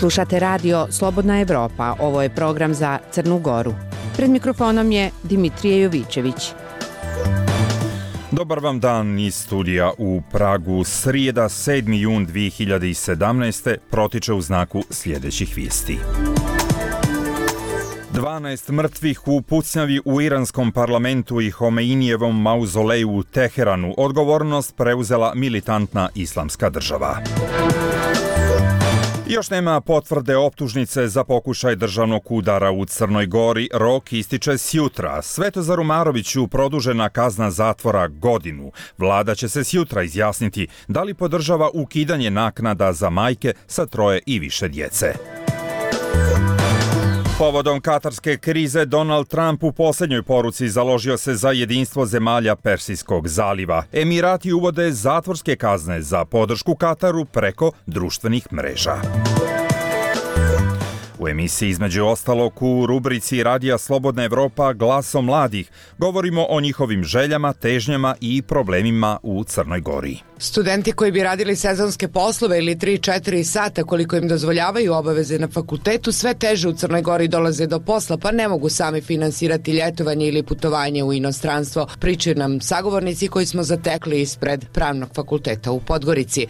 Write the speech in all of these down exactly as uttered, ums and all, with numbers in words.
Slušate radio Slobodna Evropa, ovo je program za Crnu Goru. Pred mikrofonom je Dimitrije Jovićević. Dobar vam dan iz studija u Pragu. Srijeda sedmi jun dvije hiljade sedamnaeste. protiče u znaku sljedećih vijesti. dvanaest mrtvih u pucnjavi u iranskom parlamentu i Homeinijevom mauzoleju u Teheranu. Odgovornost preuzela militantna islamska država. Još nema potvrde optužnice za pokušaj državnog udara u Crnoj Gori. Rok ističe sjutra. Svetozaru Maroviću produžena kazna zatvora godinu. Vlada će se sjutra izjasniti da li podržava ukidanje naknada za majke sa troje i više djece. Povodom katarske krize, Donald Trump u posljednjoj poruci založio se za jedinstvo zemalja Persijskog zaliva. Emirati uvode zatvorske kazne za podršku Kataru preko društvenih mreža. U emisiji između ostalog u rubrici Radija Slobodna Evropa Glasom mladih govorimo o njihovim željama, težnjama i problemima u Crnoj Gori. Studenti koji bi radili sezonske poslove ili tri četiri sata koliko im dozvoljavaju obaveze na fakultetu sve teže u Crnoj Gori dolaze do posla pa ne mogu sami finansirati ljetovanje ili putovanje u inostranstvo. Pričaju nam sagovornici koji smo zatekli ispred Pravnog fakulteta u Podgorici.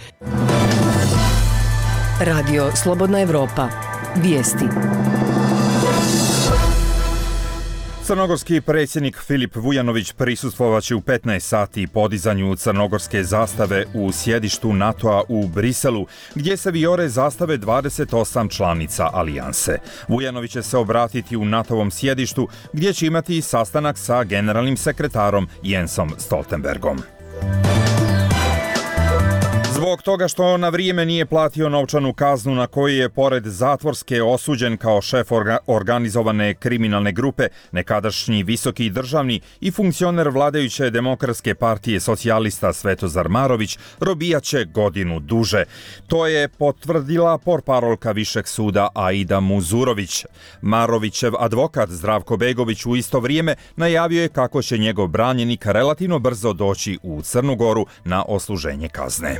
Radio Slobodna Evropa. Vijesti. Crnogorski predsjednik Filip Vujanović prisustvovaće u petnaest sati podizanju crnogorske zastave u sjedištu NATO-a u Briselu, gdje se vijore zastave dvadeset osam članica alijanse. Vujanović će se obratiti u NATO-ovom sjedištu, gdje će imati sastanak sa generalnim sekretarom Jensom Stoltenbergom. Zbog toga što na vrijeme nije platio novčanu kaznu na koju je pored zatvorske osuđen kao šef orga- organizovane kriminalne grupe, nekadašnji visoki državni i funkcioner vladajuće Demokratske partije socijalista Svetozar Marović robijaće godinu duže. To je potvrdila portparolka Višeg suda Aida Muzurović. Marovićev advokat Zdravko Begović u isto vrijeme najavio je kako će njegov branjenik relativno brzo doći u Crnu Goru na odsluženje kazne.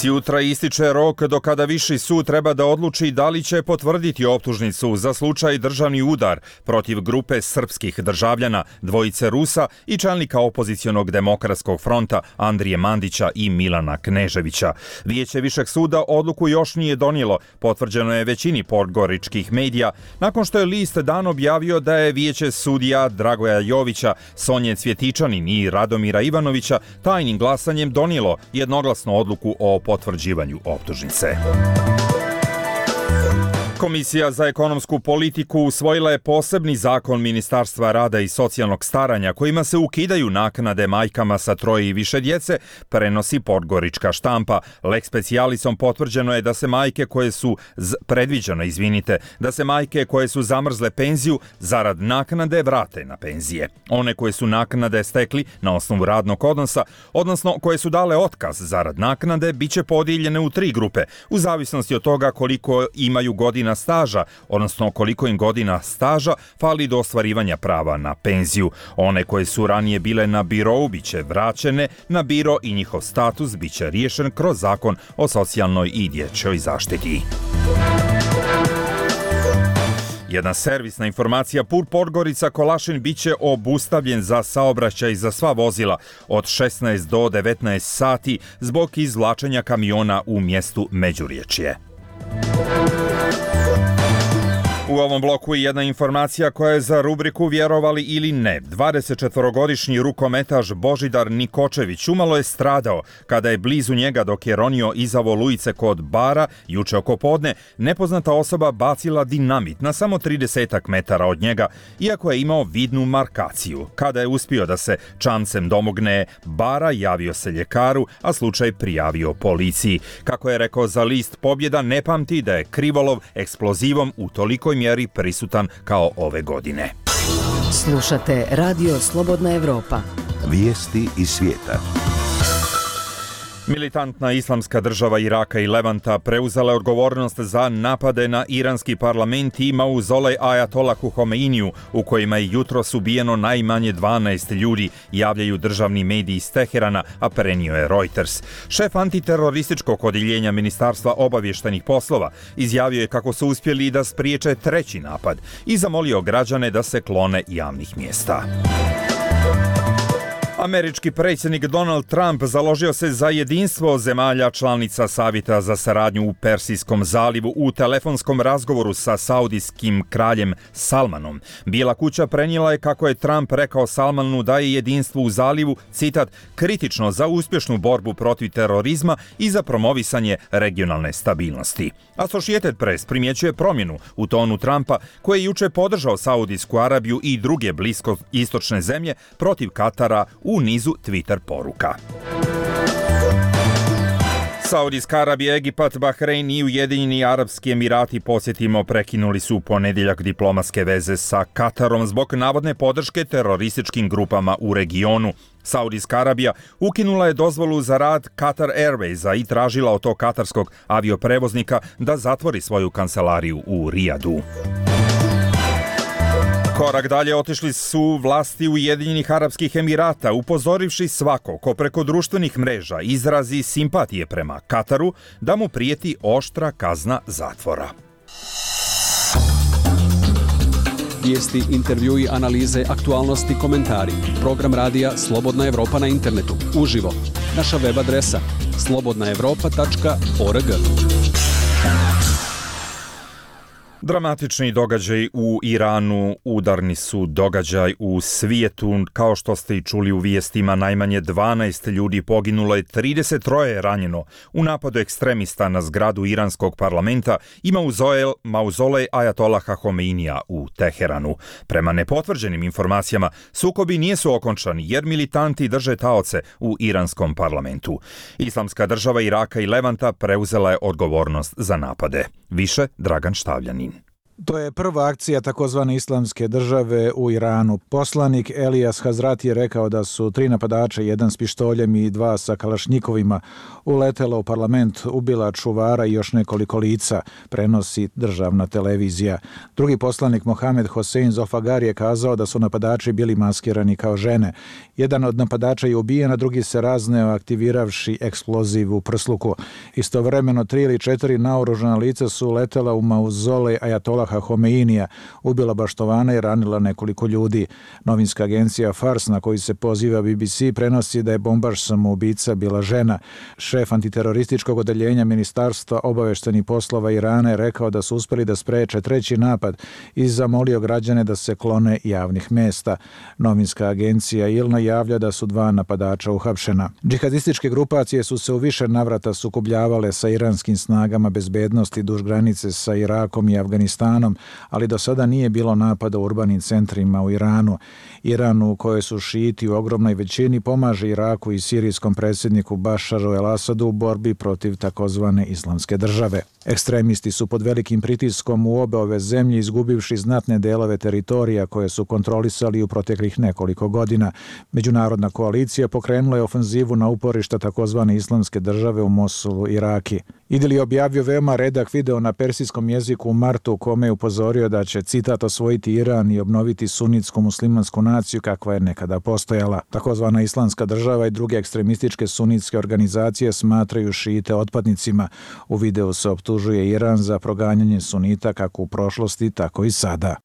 Sjutra ističe rok do kada Viši sud treba da odluči da li će potvrditi optužnicu za slučaj državni udar protiv grupe srpskih državljana, dvojice Rusa i čelnika opozicionog Demokratskog fronta Andrije Mandića i Milana Kneževića. Vijeće Višeg suda odluku još nije donijelo, potvrđeno je većini podgoričkih medija, nakon što je list Dan objavio da je vijeće sudija Dragoja Jovića, Sonje Cvjetičanin i Radomira Ivanovića tajnim glasanjem donijelo jednoglasnu odluku o potvrđivanju optužnice. Komisija za ekonomsku politiku usvojila je posebni zakon Ministarstva rada i socijalnog staranja kojima se ukidaju naknade majkama sa troje i više djece, prenosi Podgorička štampa. Lex specialisom potvrđeno je da se majke koje su z... predviđeno, izvinite, da se majke koje su zamrzle penziju zarad naknade vrate na penzije. One koje su naknade stekli na osnovu radnog odnosa, odnosno koje su dale otkaz zarad naknade, bit će podijeljene u tri grupe, u zavisnosti od toga koliko imaju godina staža, odnosno koliko im godina staža fali do ostvarivanja prava na penziju. One koje su ranije bile na birou biće vraćene na biro i njihov status biće riješen kroz zakon o socijalnoj i dječjoj zaštiti. Jedna servisna informacija, put Podgorica Kolašin biće obustavljen za saobraćaj za sva vozila od šesnaest do devetnaest sati zbog izvlačenja kamiona u mjestu Međuriječje. U ovom bloku je jedna informacija koja je za rubriku Vjerovali ili ne. dvadesetčetvorogodišnji rukometaš Božidar Nikočević umalo je stradao kada je blizu njega dok je ronio iza volujice kod bara juče oko podne nepoznata osoba bacila dinamit na samo tridesetak metara od njega, iako je imao vidnu markaciju. Kada je uspio da se čamcem domogne bara, javio se ljekaru, a slučaj prijavio policiji. Kako je rekao za list Pobjeda, ne pamti da je krivolov eksplozivom u tolikoj mjeri prisutan kao ove godine. Slušate Radio Slobodna Evropa. Vijesti iz svijeta. Militantna islamska država Iraka i Levanta preuzela je odgovornost za napade na iranski parlament i mauzolej Ajatolahu Homeiniju, u kojima je jutros ubijeno najmanje dvanaest ljudi, javljaju državni mediji iz Teherana, a prenio je Reuters. Šef antiterorističkog odjeljenja Ministarstva obavještajnih poslova izjavio je kako su uspjeli da spriječe treći napad i zamolio građane da se klone javnih mjesta. Američki predsjednik Donald Trump založio se za jedinstvo zemalja članica Savjeta za saradnju u Persijskom zalivu u telefonskom razgovoru sa saudijskim kraljem Salmanom. Bijela kuća prenijela je kako je Trump rekao Salmanu da je jedinstvo u zalivu, citat, kritično za uspješnu borbu protiv terorizma i za promovisanje regionalne stabilnosti. Associated Press primjećuje promjenu u tonu Trumpa, koji je juče podržao Saudijsku Arabiju i druge bliskoistočne zemlje protiv Katara u nizu Twitter poruka. Saudijska Arabija, Egipat, Bahrein i Ujedinjeni Arapski Emirati, podsjetimo, prekinuli su u ponedjeljak diplomatske veze sa Katarom zbog navodne podrške terorističkim grupama u regionu. Saudijska Arabija ukinula je dozvolu za rad Qatar Airwaysa i tražila od tog katarskog avioprevoznika da zatvori svoju kancelariju u Rijadu. Korak dalje otišli su vlasti Ujedinjenih Arapskih Emirata, upozorivši svako ko preko društvenih mreža izrazi simpatije prema Kataru da mu prijeti oštra kazna zatvora. Vijesti, intervjui, analize, aktualnosti, komentari. Program radija Slobodna Evropa na internetu. Uživo. Naša web adresa slobodna evropa tačka org. Dramatični događaj u Iranu, udarni su događaj u svijetu. Kao što ste i čuli u vijestima, najmanje dvanaest ljudi poginulo je, trideset troje je ranjeno u napadu ekstremista na zgradu iranskog parlamenta i mauzolej, mauzolej Ajatolaha Homeinija u Teheranu. Prema nepotvrđenim informacijama, sukobi nisu okončani jer militanti drže taoce u iranskom parlamentu. Islamska država Iraka i Levanta preuzela je odgovornost za napade. Više Dragan Štavljanin. To je prva akcija takozvane islamske države u Iranu. Poslanik Elijas Hazrati je rekao da su tri napadača, jedan s pištoljem i dva sa kalašnjikovima, uletela u parlament, ubila čuvara i još nekoliko lica, prenosi državna televizija. Drugi poslanik Mohamed Hosein Zofagar je kazao da su napadači bili maskirani kao žene. Jedan od napadača je ubijen, a drugi se razneo aktiviravši eksploziv u prsluku. Istovremeno tri ili četiri naoružana lica su uletela u mauzolej Ajatolah Homeinija, ubila baštovana i ranila nekoliko ljudi. Novinska agencija Fars, na koji se poziva B B C, prenosi da je bombaš samoubica bila žena. Šef antiterorističkog odeljenja Ministarstva obavještajnih poslova Irana je rekao da su uspjeli da spreče treći napad i zamolio građane da se klone javnih mjesta. Novinska agencija Ilna javlja da su dva napadača uhapšena. Džihadističke grupacije su se u više navrata sukobljavale sa iranskim snagama bezbednosti duž granice sa Irakom i Afganistanom, ali do sada nije bilo napada u urbanim centrima u Iranu. Iran, u kojoj su šijiti u ogromnoj većini, pomaže Iraku i sirijskom predsjedniku Bašaru el-Asadu u borbi protiv takozvane islamske države. Ekstremisti su pod velikim pritiskom u obe ove zemlje, izgubivši znatne delove teritorija koje su kontrolisali u proteklih nekoliko godina. Međunarodna koalicija pokrenula je ofenzivu na uporišta takozvane islamske države u Mosulu, Iraki. Idil je objavio veoma redak video na persijskom jeziku u martu, u kome je upozorio da će, citat, osvojiti Iran i obnoviti sunitsku muslimansku naciju kakva je nekada postojala. Takozvana islamska država i druge ekstremističke sunitske organizacije smatraju šijite otpadnicima. U videu se optužuje Iran za proganjanje sunita kako u prošlosti, tako i sada.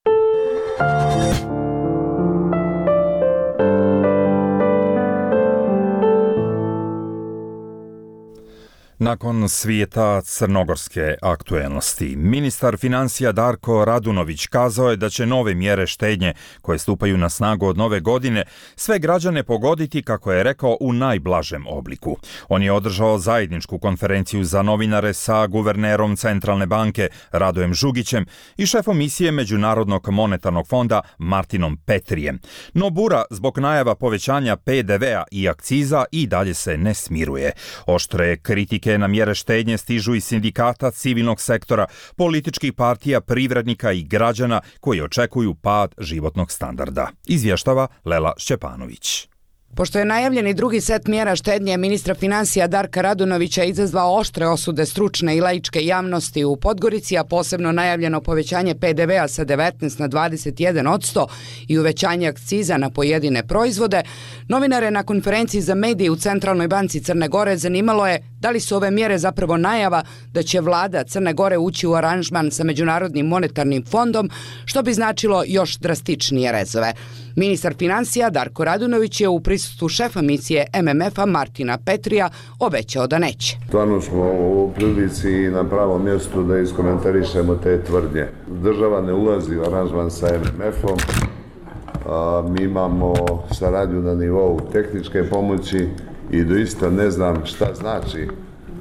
Nakon svijeta crnogorske aktuelnosti, ministar financija Darko Radunović kazao je da će nove mjere štednje koje stupaju na snagu od nove godine sve građane pogoditi, kako je rekao, u najblažem obliku. On je održao zajedničku konferenciju za novinare sa guvernerom Centralne banke Radojem Žugićem i šefom misije Međunarodnog monetarnog fonda Martinom Petrijem. No bura zbog najava povećanja P D V-a i akciza i dalje se ne smiruje. Oštre kritike na mjere štednje stižu iz sindikata, civilnog sektora, političkih partija, privrednika i građana koji očekuju pad životnog standarda. Izvještava Lela Šćepanović. Pošto je najavljeni drugi set mjera štednje ministra financija Darka Radunovića izazvao oštre osude stručne i laičke javnosti u Podgorici, a posebno najavljeno povećanje pe de vea sa devetnaest na dvadeset jedan posto i uvećanje akciza na pojedine proizvode, novinare na konferenciji za medije u Centralnoj banci Crne Gore zanimalo je da li su ove mjere zapravo najava da će vlada Crne Gore ući u aranžman sa Međunarodnim monetarnim fondom, što bi značilo još drastičnije rezove. Ministar financija Darko Radunović je u prisustvu šefa misije em em efa Martina Petrija obećao da neće. Stvarno smo u prilici i na pravom mjestu da iskomentarišemo te tvrdnje. Država ne ulazi u aranžman sa em em efom, a, mi imamo saradnju na nivou tehničke pomoći i doista ne znam šta znači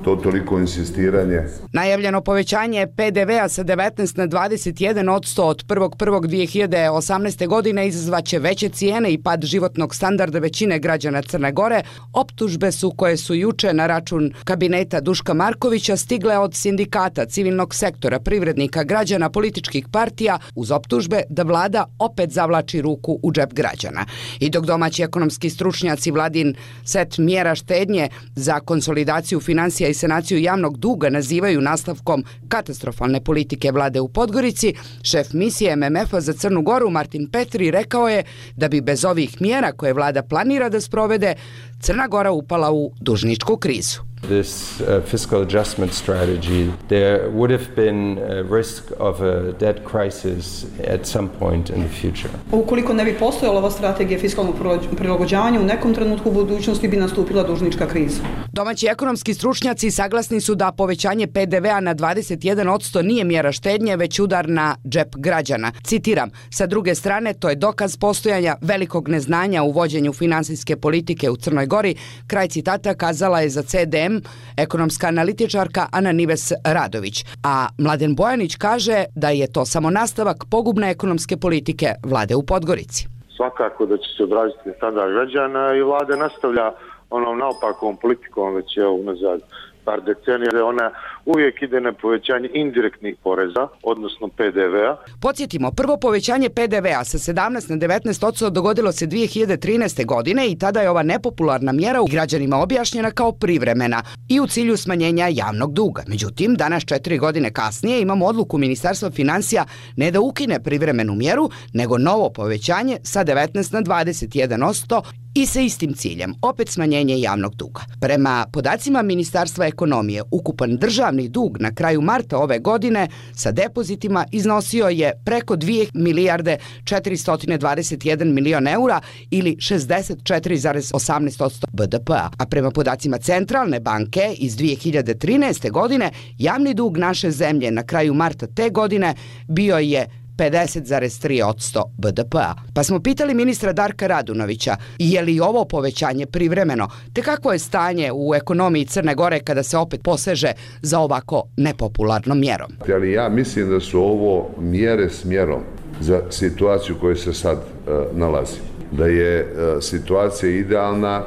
to toliko insistiranje. Najavljeno povećanje pe de vea sa devetnaest na dvadeset jedan posto od prvog prvog dve hiljade osamnaeste. godine izazvaće veće cijene i pad životnog standarda većine građana Crne Gore. Optužbe su koje su juče na račun kabineta Duška Markovića stigle od sindikata, civilnog sektora, privrednika, građana, političkih partija, uz optužbe da vlada opet zavlači ruku u džep građana. I dok domaći ekonomski stručnjaci vladin set mjera štednje za konsolidaciju financija i sanaciju javnog duga nazivaju nastavkom katastrofalne politike vlade u Podgorici, šef misije em em efa za Crnu Goru Martin Petri rekao je da bi bez ovih mjera koje vlada planira da sprovede, Crna Gora upala u dužničku krizu. This uh, fiscal adjustment strategy, there would have been a risk of a debt crisis at some point in the future. Ukoliko ne bi postojala ova strategija fiskalnog prilagođavanja, u nekom trenutku u budućnosti bi nastupila dužnička kriza. Domaći ekonomski stručnjaci saglasni su da povećanje pe de vea na dvadeset jedan posto nije mjera štednje, već udar na džep građana. Citiram, sa druge strane, to je dokaz postojanja velikog neznanja u vođenju finansijske politike u Crnoj Gori, kraj citata kazala je za ce de em ekonomska analitičarka Ana Nives Radović, a Mladen Bojanić kaže da je to samo nastavak pogubne ekonomske politike vlade u Podgorici. Svakako da će se odraziti standard građana i vlada nastavlja onom naopakom politikom već je unazad par decenija, ona uvijek ide na povećanje indirektnih poreza, odnosno pe de vea. Podsjetimo, prvo povećanje pe de vea sa sedamnaest na devetnaest posto dogodilo se dve hiljade trinaeste. godine i tada je ova nepopularna mjera u građanima objašnjena kao privremena i u cilju smanjenja javnog duga. Međutim, danas četiri godine kasnije imamo odluku Ministarstva financija ne da ukine privremenu mjeru, nego novo povećanje sa devetnaest na dvadeset jedan posto i sa istim ciljem, opet smanjenje javnog duga. Prema podacima Ministarstva ekonomije, ukupan državni dug na kraju marta ove godine sa depozitima iznosio je preko dvije milijarde četiristo dvadeset jedan milion eura ili šezdeset četiri zarez osamnaest posto be de pea. A prema podacima Centralne banke iz dve hiljade trinaeste. godine, javni dug naše zemlje na kraju marta te godine bio je pedeset zarez tri posto be de pea. Pa smo pitali ministra Darka Radunovića je li ovo povećanje privremeno, te kako je stanje u ekonomiji Crne Gore kada se opet poseže za ovako nepopularnom mjerom. Ali ja mislim da su ovo mjere s mjerom za situaciju u kojoj se sad uh, nalazi. Da je uh, situacija idealna,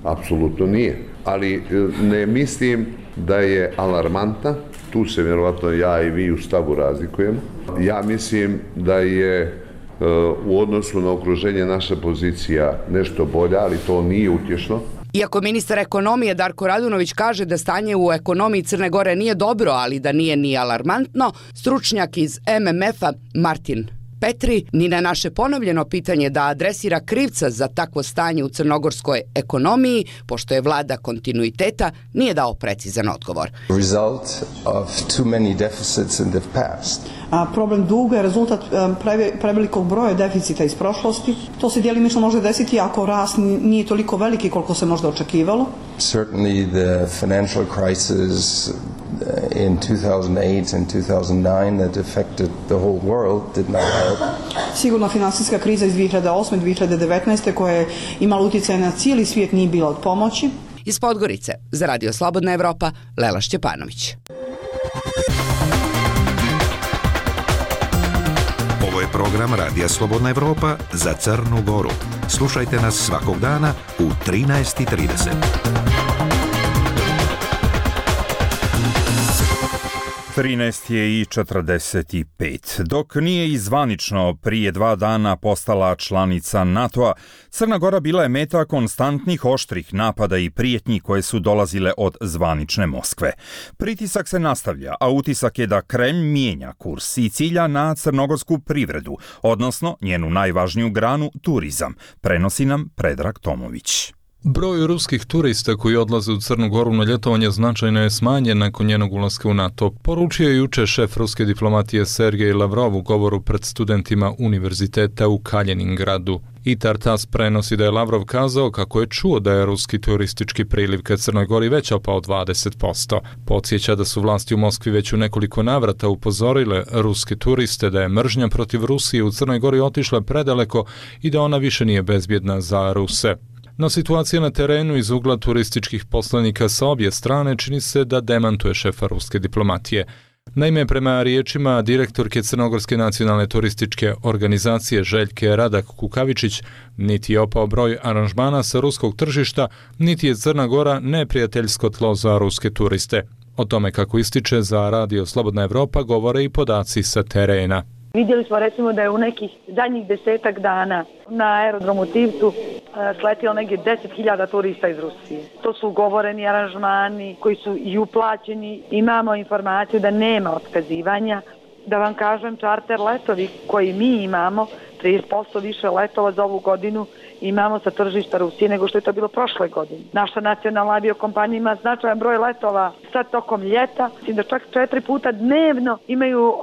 apsolutno nije. Ali uh, ne mislim da je alarmantna. Tu se vjerovatno ja i vi u stavu razlikujemo. Ja mislim da je e, u odnosu na okruženje naša pozicija nešto bolja, ali to nije utješno. Iako ministar ekonomije Darko Radunović kaže da stanje u ekonomiji Crne Gore nije dobro, ali da nije ni alarmantno, stručnjak iz em em efa Martin Petri ni na naše ponovljeno pitanje da adresira krivca za takvo stanje u crnogorskoj ekonomiji, pošto je vlada kontinuiteta, nije dao precizan odgovor. Result of too many deficits in the past. A problem duga je rezultat prevelikog broja deficita iz prošlosti. To se djelimično može desiti ako rast nije toliko veliki koliko se možda očekivalo. Certainly the financial crisis in two thousand eight and two thousand nine that affected the whole world did not help. Sigurno finansijska kriza iz dve hiljade osme. dve hiljade devetnaeste. koja je imala utjecaj na cijeli svijet nije bila od pomoći. Iz Podgorice za Radio Slobodna Evropa, Lela Šćepanović. Ovo je program Radija Slobodna Evropa za Crnu Goru. Slušajte nas svakog dana u trinaest i trideset. trinaest je i četrdeset pet. Dok nije izvanično prije dva dana postala članica NATO-a, Crna Gora bila je meta konstantnih oštrih napada i prijetnji koje su dolazile od zvanične Moskve. Pritisak se nastavlja, a utisak je da Kremlj mijenja kurs i cilja na crnogorsku privredu, odnosno njenu najvažniju granu, turizam, prenosi nam Predrag Tomović. Broj ruskih turista koji odlaze u Crnu Goru na ljetovanje značajno je smanjen nakon njenog ulaska u NATO, poručio je juče šef ruske diplomatije Sergej Lavrov u govoru pred studentima univerziteta u Kaljeningradu. I Tartas prenosi da je Lavrov kazao kako je čuo da je ruski turistički priliv ka Crnoj Gori već opao dvadeset posto. Podsjeća da su vlasti u Moskvi već u nekoliko navrata upozorile ruske turiste da je mržnja protiv Rusije u Crnoj Gori otišla predaleko i da ona više nije bezbjedna za Ruse. No situacija na terenu iz ugla turističkih poslanika sa obje strane čini se da demantuje šefa ruske diplomatije. Naime, prema riječima direktorke Crnogorske nacionalne turističke organizacije Željke Radak Kukavičić, niti je opao broj aranžmana sa ruskog tržišta, niti je Crna Gora neprijateljsko tlo za ruske turiste. O tome, kako ističe za Radio Slobodna Evropa, govore i podaci sa terena. Vidjeli smo recimo da je u nekih zadnjih desetak dana na aerodromu Tivtu sletilo negdje deset hiljada turista iz Rusije. To su ugovoreni aranžmani koji su i uplaćeni. Imamo informaciju da nema otkazivanja. Da vam kažem, čarter letovi koji mi imamo, trideset posto više letova za ovu godinu imamo sa tržišta Rusije nego što je to bilo prošle godine. Naša nacionalna aviokompanija ima značajan broj letova sad tokom ljeta, da čak četiri puta dnevno imaju uh,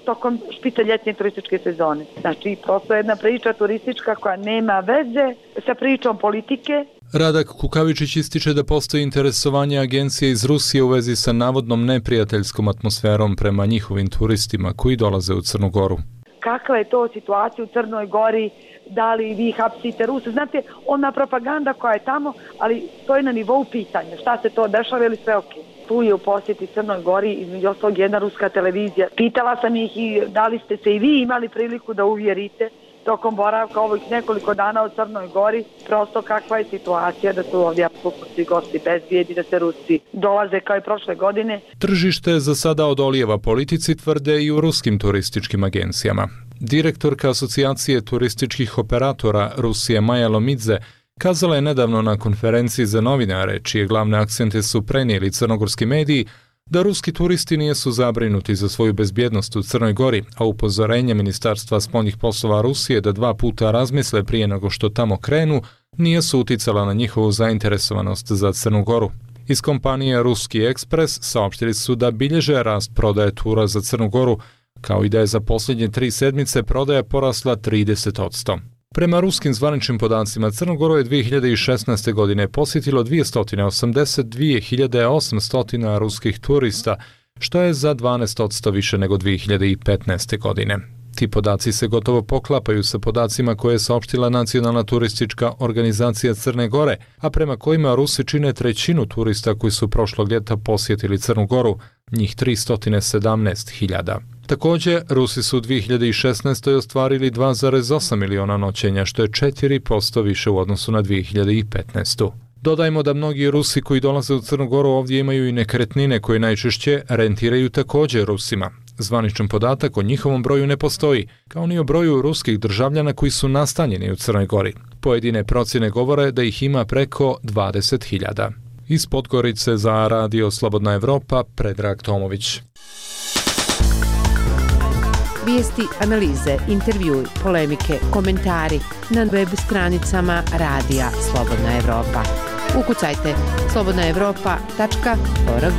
tokom špice ljetnje turističke sezone. Znači, prosto jedna priča turistička koja nema veze sa pričom politike. Radak Kukavičić ističe da postoji interesovanje agencije iz Rusije u vezi sa navodnom neprijateljskom atmosferom prema njihovim turistima koji dolaze u Crnu Goru. Kakva je to situacija u Crnoj Gori, da li vi hapsite Ruse? Znate, ona propaganda koja je tamo, ali to je na nivou pitanja. Šta se to dešava ili sve ok? Tu je u posjeti Crnoj Gori između ostalog jedna ruska televizija. Pitala sam ih i da li ste se i vi imali priliku da uvjerite tokom boravka ovih nekoliko dana u Crnoj Gori, prosto kakva je situacija, da su ovdje apsolutno svi gosti bezbjedni, da se Rusi dolaze kao i prošle godine. Tržište za sada odolijeva politici, tvrde i u ruskim turističkim agencijama. Direktorka Asocijacije turističkih operatora Rusije Maja Lomidze kazala je nedavno na konferenciji za novinare, čije glavne akcente su prenijeli crnogorski mediji, da ruski turisti nisu zabrinuti za svoju bezbjednost u Crnoj Gori, a upozorenje Ministarstva spoljnih poslova Rusije da dva puta razmisle prije nego što tamo krenu, nisu uticala na njihovu zainteresovanost za Crnu Goru. Iz kompanije Ruski ekspres saopštili su da bilježe rast prodaje tura za Crnu Goru, kao i da je za posljednje tri sedmice prodaja porasla trideset posto. Prema ruskim zvaničnim podacima, Crnu Goru je dvije hiljade šesnaeste. godine posjetilo dvjesto osamdeset dvije hiljade osamsto ruskih turista, što je za dvanaest posto više nego dvije hiljade petnaeste. godine. Ti podaci se gotovo poklapaju sa podacima koje je saopštila Nacionalna turistička organizacija Crne Gore, a prema kojima Rusi čine trećinu turista koji su prošlog ljeta posjetili Crnu Goru, njih tristo sedamnaest hiljada. Također, Rusi su u dvije hiljade šesnaeste. ostvarili dva zarez osam miliona noćenja, što je četiri posto više u odnosu na dvije hiljade petnaeste. Dodajmo da mnogi Rusi koji dolaze u Crnu Goru ovdje imaju i nekretnine koje najčešće rentiraju također Rusima. Zvaničan podatak o njihovom broju ne postoji, kao ni o broju ruskih državljana koji su nastanjeni u Crnoj Gori. Pojedine procjene govore da ih ima preko dvadeset hiljada. Iz Podgorice za Radio Slobodna Evropa, Predrag Tomović. Vijesti, analize, intervjui, polemike, komentari na web stranicama Radija Slobodna Evropa. Ukucajte slobodna evropa tačka org.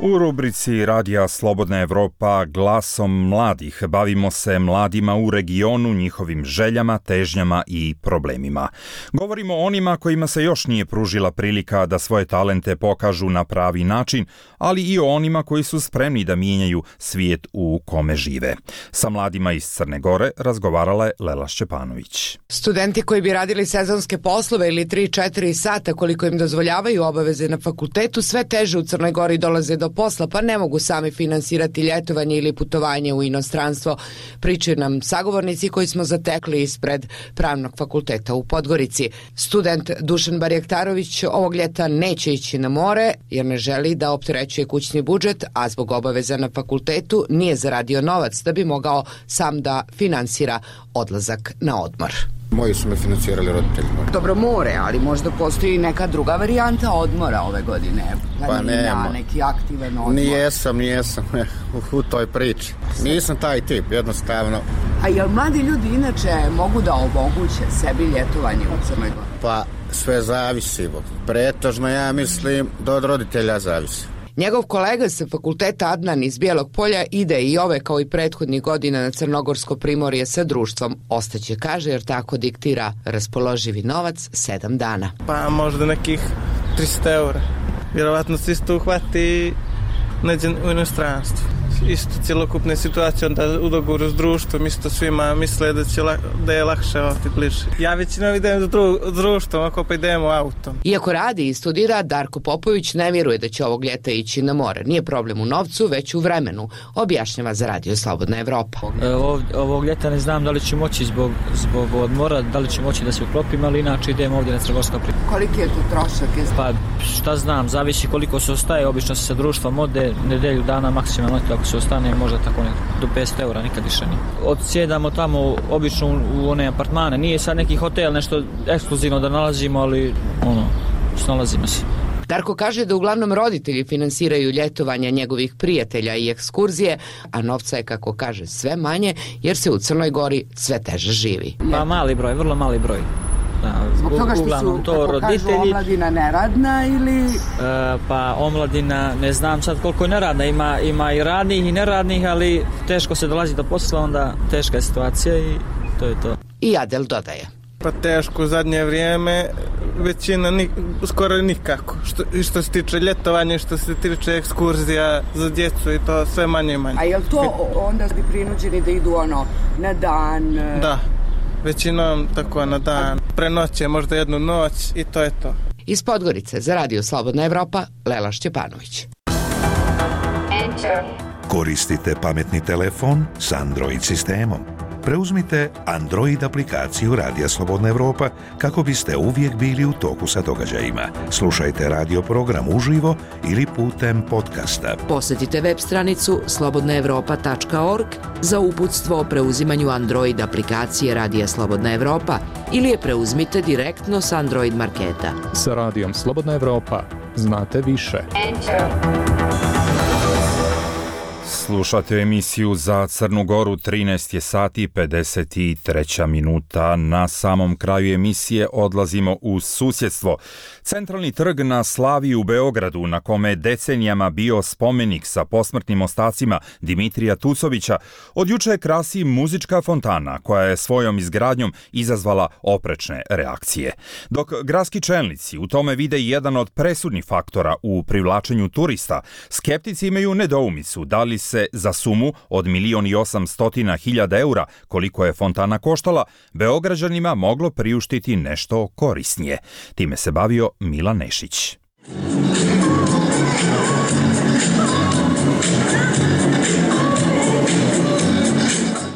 U rubrici Radija Slobodna Evropa glasom mladih bavimo se mladima u regionu, njihovim željama, težnjama i problemima. Govorimo o onima kojima se još nije pružila prilika da svoje talente pokažu na pravi način, ali i o onima koji su spremni da mijenjaju svijet u kome žive. Sa mladima iz Crne Gore razgovarala je Lela Šćepanović. Studenti koji bi radili sezonske poslove ili tri četiri sata koliko im dozvoljavaju obaveze na fakultetu sve teže u Crnoj Gori dolaze do do posla pa ne mogu sami finansirati ljetovanje ili putovanje u inostranstvo. Pričaju nam sagovornici koji smo zatekli ispred Pravnog fakulteta u Podgorici. Student Dušan Barjaktarović ovog ljeta neće ići na more jer ne želi da opterećuje kućni budžet, a zbog obaveza na fakultetu nije zaradio novac da bi mogao sam da finansira odlazak na odmor. Moji su me financirali roditelji. Dobro, more, ali možda postoji neka druga varijanta odmora ove godine. Pa nema. Neki aktivan odmor. Nijesam, nijesam u, u toj priči. Nisam taj tip, jednostavno. A jel mladi ljudi inače mogu da omoguće sebi ljetovanje u Crnoj Gori? Pa sve zavisi. Pretežno ja mislim da od roditelja zavisi. Njegov kolega sa fakulteta Adnan iz Bijelog Polja ide i ove kao i prethodnih godina na Crnogorsko primorje sa društvom. Ostaće, kaže, jer tako diktira raspoloživi novac sedam dana. Pa možda nekih tristo eura. Vjerovatno se isto uhvati neđe u inostranstvu. Isto cjelokupne situacije onda u dogovoru s društvom, isto svima misle da, će, da je lakše ovdje bliže. Ja većinom idem s dru, društvom, ako pa idemo autom. Iako radi i studira, Darko Popović ne vjeruje da će ovog ljeta ići na more. Nije problem u novcu, već u vremenu, objašnjava za Radio Slobodna Evropa. E, ov, ovog ljeta ne znam da li ću moći zbog, zbog odmora, da li ću moći da se uklopim, ali inače idem ovdje na Crnogorsko primorje. Koliki je to trošak? Pa šta znam, zavisi koliko se ostaje, obično se sa društvom ode nedelju dana maksimalno, ako se ostane možda tako ne, do petsto eura, nikad više nije. Odsjedamo tamo obično u, u one apartmane, nije sad neki hotel nešto ekskluzivno da nalazimo, ali ono, snalazimo se. Darko kaže da uglavnom roditelji finansiraju ljetovanja njegovih prijatelja i ekskurzije, a novca je, kako kaže, sve manje jer se u Crnoj Gori sve teže živi. Pa mali broj, vrlo mali broj. Da, zbog toga što su, to kako roditelji, kažu, omladina neradna ili... E, pa omladina, ne znam sad koliko je neradna, ima, ima i radnih i neradnih, ali teško se dolazi do posla, onda teška je situacija i to je to. I Adel dodaje. Pa teško u zadnje vrijeme, većina nik, skoro nikako. Što, što se tiče ljetovanja, što se tiče ekskurzija za djecu i to sve manje i manje. A je li to onda bi prinuđeni da idu ono na dan? Da. Većinom tako na dan, prenoće možda jednu noć i to je to. Iz Podgorice za Radio Slobodna Evropa, Lela Šćepanović. Koristite pametni telefon s Android sistemom. Preuzmite Android aplikaciju Radija Slobodna Evropa kako biste uvijek bili u toku sa događajima. Slušajte radio program uživo ili putem podcasta. Posjetite web stranicu slobodna evropa tačka org za uputstvo o preuzimanju Android aplikacije Radija Slobodna Evropa ili je preuzmite direktno s Android marketa. Sa Radijom Slobodna Evropa znate više. Slušate emisiju za Crnu Goru, trinaest je sati pedeset treća minuta. Na samom kraju emisije odlazimo u susjedstvo. Centralni trg na Slaviji u Beogradu, na kome je decenijama bio spomenik sa posmrtnim ostacima Dimitrija Tucovića, od juče krasi muzička fontana koja je svojom izgradnjom izazvala oprečne reakcije. Dok gradski čelnici u tome vide jedan od presudnih faktora u privlačenju turista, skeptici imaju nedoumicu da li se za sumu od milion i osamstotina hiljada eura, koliko je fontana koštala, Beograđanima moglo priuštiti nešto korisnije. Time se bavio Milan Nešić.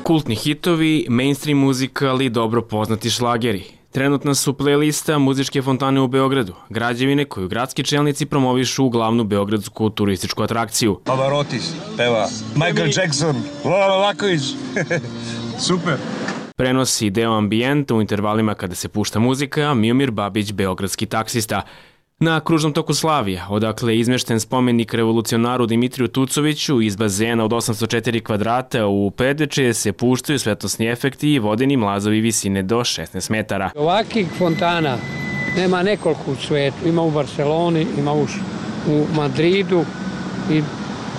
Kultni hitovi, mainstream muzika, ali dobro poznati šlageri. Trenutna su playlista muzičke fontane u Beogradu, građevine koju gradski čelnici promovišu u glavnu beogradsku turističku atrakciju. Pavarotti peva, Michael Jackson, Lola Laković, super. Prenosi deo ambijenta u intervalima kada se pušta muzika, Miomir Babić, beogradski taksista. Na kružnom toku Slavija, odakle je izmešten spomenik revolucionaru Dimitriju Tucoviću, iz bazena od osamsto četiri kvadrata u Predveče se puštaju svetlosni efekti i vodeni mlazovi visine do šesnaest metara. Ovakvih fontana nema nekoliko u svijetu. Ima u Barceloni, ima u, u Madridu i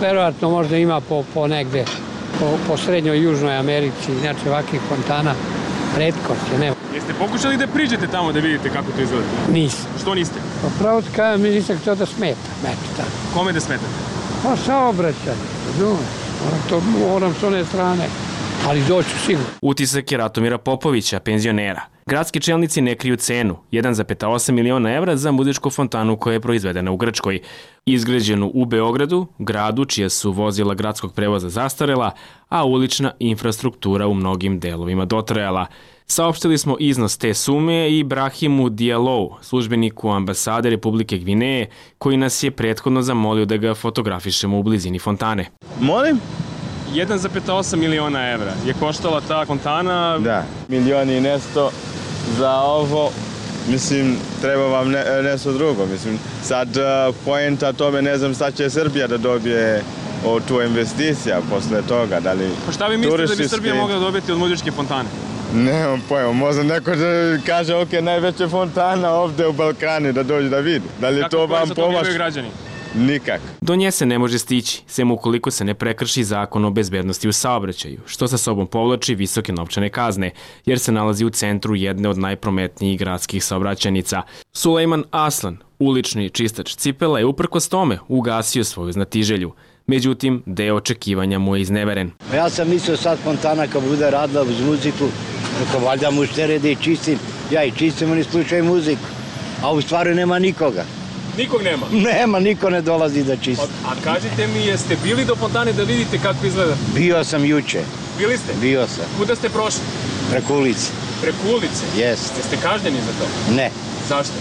verovatno možda ima po, po negde, po, po srednjoj i južnoj Americi. Znači ovakvih fontana retkost je, nema. Jeste pokušali da priđete tamo da vidite kako to izgleda? Nisam. Što niste? Pa pravo ti kajem, mi nisam htio da smeta. Eto, kome da smetate? Pa saobraćanje, razumiješ. Moram, to, moram s one strane, ali doću sigurno. Utisak je Ratomira Popovića, penzionera. Gradski čelnici ne kriju cenu, jedan zarez osam miliona evra za muzičku fontanu koja je proizvedena u Grčkoj. Izgrađenu u Beogradu, gradu čija su vozila gradskog prevoza zastarela, a ulična infrastruktura u mnogim delovima dotrajala. Saopštili smo iznos te sume i Brahimu Dialou, službeniku ambasade Republike Gvineje, koji nas je prethodno zamolio da ga fotografišemo u blizini fontane. Molim? jedan zarez osam miliona evra je koštala ta fontana. Da, milion i nešto za ovo. Mislim, treba vam ne, nešto drugo. Mislim, sad uh, poenta tome, ne znam, sad će Srbija da dobije o tu investicija posle toga. Da li pa šta vi mislite turistički... da bi Srbija mogla dobiti od muzičke fontane? Nemam pojma, možda neko da kaže, ok, najveća fontana ovde u Balkani, da dođe da vidi. Da li to vam pomaže? Građani? Nikak. Do nje se ne može stići, sem ukoliko se ne prekrši zakon o bezbednosti u saobraćaju, što sa sobom povlači visoke novčane kazne, jer se nalazi u centru jedne od najprometnijih gradskih saobraćajnica. Sulejman Aslan, ulični čistač cipela, je uprkos tome ugasio svoju znatiželju. Međutim, deo očekivanja mu je izneveren. Ja sam mislio sad fontana kad bude radila uz muziku, kako valjda muštere da i čistim, ja i čistim, oni slučaju muziku, a u stvari nema nikoga. Nikog nema? Nema, niko ne dolazi da čisti. A, a kažite mi, jeste bili do fontane da vidite kako izgleda? Bio sam juče. Bili ste? Bio sam. Kuda ste prošli? Preko ulice. Preko ulice? Jeste. Jeste kažnjeni za to? Ne. Zašto?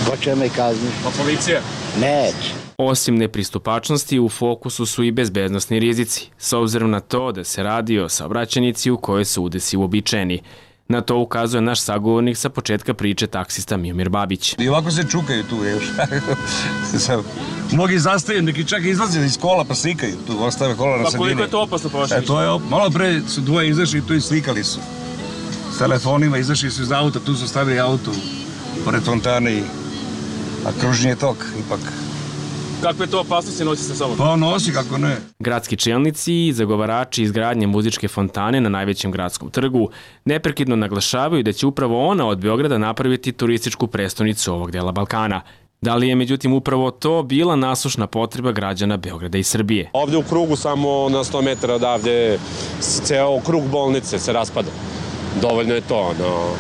Ko će me kazniti? Pa policija? Neće. Osim nepristupačnosti, u fokusu su i bezbednosni rizici, s obzirom na to da se radi o saobraćajnici u kojoj su udesi uobičajeni. Na to ukazuje naš sagovornik sa početka priče, taksista Miomir Babić. I ovako se čukaju tu još. Mnogi zastaju, neki čak izlaze iz kola pa slikaju tu, ostave kola na sredini. Pa koliko je to opasno prošlo? E, to je op... Malo pre su dvoje izašli tu i slikali su. S telefonima izašli su iz auta, tu su stavili auto pored fontane, a kružni je tok ipak. Kakve to opasnosti nosi sa sobom? Pa nosi, kako ne. Gradski čelnici i zagovarači izgradnje muzičke fontane na najvećem gradskom trgu neprekidno naglašavaju da će upravo ona od Beograda napraviti turističku prestonicu ovog dela Balkana. Da li je međutim upravo to bila nasušna potreba građana Beograda i Srbije? Ovde u krugu samo na sto metara odavde ceo krug bolnice se raspada. Dovoljno je to, no...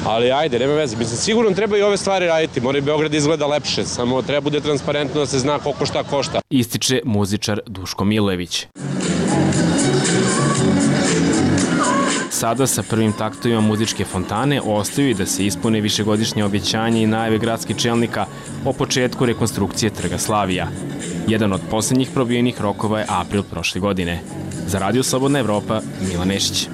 Ali ajde, nema veze. Mislim, sigurno treba i ove stvari raditi. Mora i Beograd izgleda lepše, samo treba bude transparentno da se zna koliko šta košta. Ističe muzičar Duško Milojević. Sada sa prvim taktovima muzičke fontane ostaju i da se ispune višegodišnje obećanje i najave gradskih čelnika o početku rekonstrukcije Trga Slavija. Jedan od poslednjih probijenih rokova je april prošle godine. Za Radio Slobodna Evropa, Milan Nešić.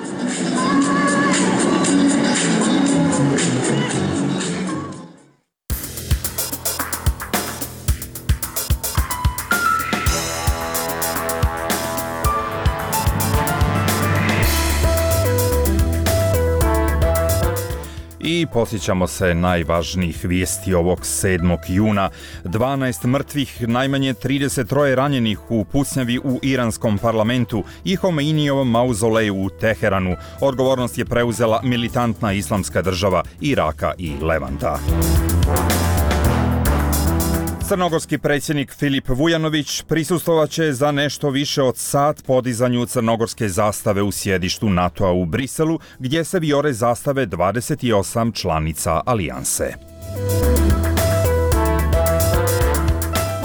I posjećamo se najvažnijih vijesti ovog sedmog juna. dvanaest mrtvih, najmanje trideset troje ranjenih u pucnjavi u iranskom parlamentu i Homeinijevom mauzoleju u Teheranu. Odgovornost je preuzela militantna islamska država Iraka i Levanta. Crnogorski predsjednik Filip Vujanović prisustvovaće za nešto više od sat podizanju crnogorske zastave u sjedištu NATO-a u Briselu, gdje se vijore zastave dvadeset osam članica alijanse.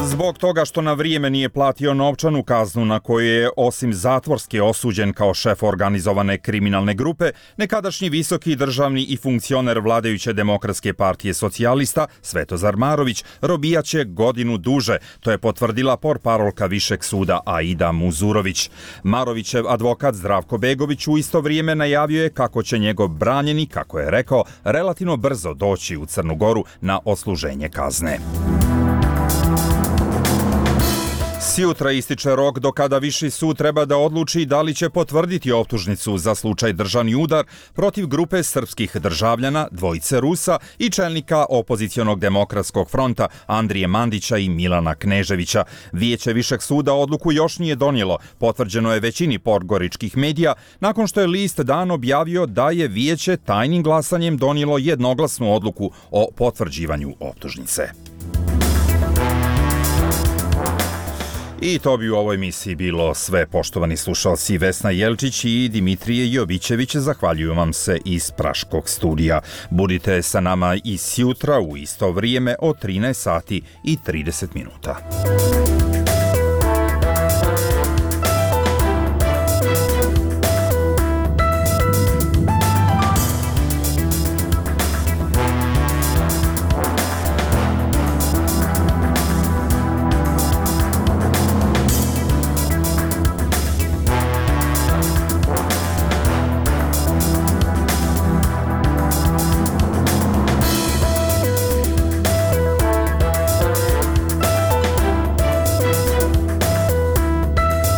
Zbog toga što na vrijeme nije platio novčanu kaznu na koju je osim zatvorske osuđen kao šef organizovane kriminalne grupe, nekadašnji visoki državni i funkcioner vladajuće Demokratske partije socijalista Svetozar Marović robijaće godinu duže. To je potvrdila portparolka Višeg suda Aida Muzurović. Marovićev advokat Zdravko Begović u isto vrijeme najavio je kako će njegov branjeni, kako je rekao, relativno brzo doći u Crnu Goru na odsluženje kazne. Sjutra ističe rok do kada Viši sud treba da odluči da li će potvrditi optužnicu za slučaj državni udar protiv grupe srpskih državljana, dvojice Rusa i čelnika opozicionog demokratskog fronta Andrije Mandića i Milana Kneževića. Vijeće Višeg suda odluku još nije donijelo, potvrđeno je većini podgoričkih medija, nakon što je list Dan objavio da je vijeće tajnim glasanjem donijelo jednoglasnu odluku o potvrđivanju optužnice. I to bi u ovoj emisiji bilo sve, poštovani slušalci. Vesna Jelčić i Dimitrije Jovićević zahvaljuju vam se iz Praškog studija. Budite sa nama i sjutra u isto vrijeme od trinaest sati i trideset minuta.